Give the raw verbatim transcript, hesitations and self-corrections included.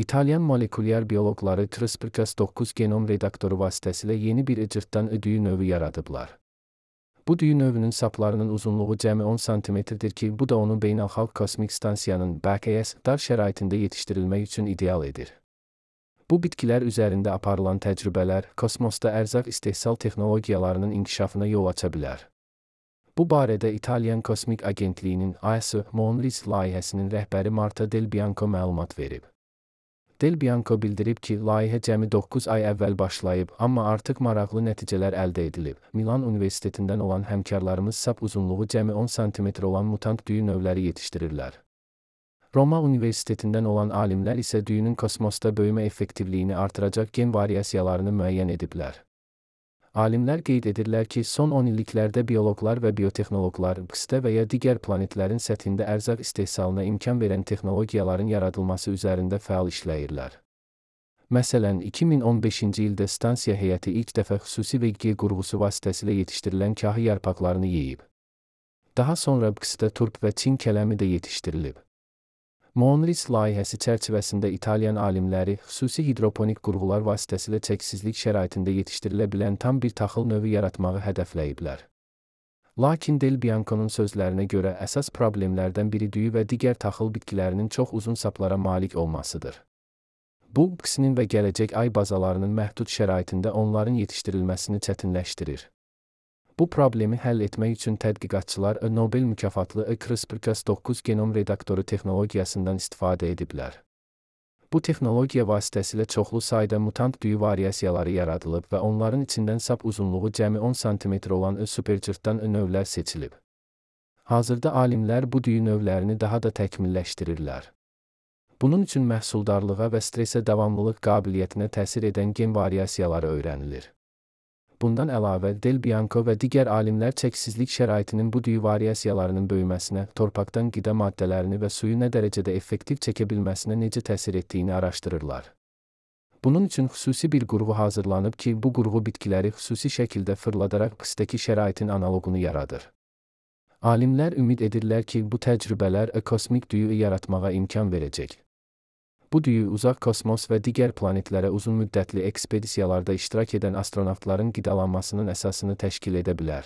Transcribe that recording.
İtalyan molekulyar bioloqları CRISPR Cas dokuz genom redaktoru vasitəsilə yeni bir icırtdan düyü növü yaradıblar. Bu düyü növünün saplarının uzunluğu cəmi on santimetrdir ki, bu da onu Beynəlxalq Kosmik Stansiyanın B K S dar şəraitində yetişdirilmək üçün ideal edir. Bu bitkilər üzərində aparılan təcrübələr, kosmosda ərzaq istehsal texnologiyalarının inkişafına yol aça bilər. Bu barədə İtalyan Kosmik Agentliyinin A S Monris layihəsinin rəhbəri Marta Del Bianco məlumat verib. Del Bianco bildirib ki, layihə cəmi doqquz ay əvvəl başlayıb, amma artıq maraqlı nəticələr əldə edilib. Milan Universitetindən olan həmkarlarımız sap uzunluğu cəmi on santimetr olan mutant düyü növləri yetişdirirlər. Roma Universitetindən olan alimlər isə düyünün kosmosda böyümə effektivliyini artıracaq gen variasiyalarını müəyyən ediblər. Alimlər qeyd edirlər ki, son on illiklərdə bioloqlar və biotexnoloqlar B K S-də və ya digər planetlərin səthində ərzaq istehsalına imkan verən texnologiyaların yaradılması üzərində fəal işləyirlər. Məsələn, iki min on beşinci ildə stansiya heyəti ilk dəfə xüsusi V G qurğusu vasitəsilə yetişdirilən kahı yarpaqlarını yeyib. Daha sonra B K S-də turp və Çin kələmi də yetişdirilib. Monris layihəsi çərçivəsində İtalyan alimləri xüsusi hidroponik qurğular vasitəsilə çəksizlik şəraitində yetişdirilə bilən tam bir taxıl növü yaratmağı hədəfləyiblər. Lakin Del Bianco'nun sözlərinə görə əsas problemlərdən biri düyü və digər taxıl bitkilərinin çox uzun saplara malik olmasıdır. Bu, B K S-nin və gələcək ay bazalarının məhdud şəraitində onların yetişdirilməsini çətinləşdirir. Bu problemi həll etmək üçün tədqiqatçılar Nobel mükafatlı CRISPR Cas dokuz genom redaktoru texnologiyasından istifadə ediblər. Bu texnologiya vasitəsilə çoxlu sayda mutant düyü variasiyaları yaradılıb və onların içindən sap uzunluğu cəmi on santimetr olan supercırtdan növlər seçilib. Hazırda alimlər bu düyü növlərini daha da təkmilləşdirirlər. Bunun üçün məhsuldarlığa və stresə davamlılıq qabiliyyətinə təsir edən gen variasiyaları öyrənilir. Bundan əlavə, Del Bianco və digər alimlər çəksizlik şəraitinin bu düyü variasiyalarının böyüməsinə, torpaqdan qida maddələrini və suyu nə dərəcədə effektiv çəkə bilməsinə necə təsir etdiyini araşdırırlar. Bunun üçün xüsusi bir qurğu hazırlanıb ki, bu qurğu bitkiləri xüsusi şəkildə fırladaraq B K S-dəki şəraitin analoqunu yaradır. Alimlər ümid edirlər ki, bu təcrübələr kosmik düyü yaratmağa imkan verəcək. Bu düyü uzaq kosmos və digər planetlərə uzun müddətli ekspedisiyalarda iştirak edən astronavtların qidalanmasının əsasını təşkil edə bilər.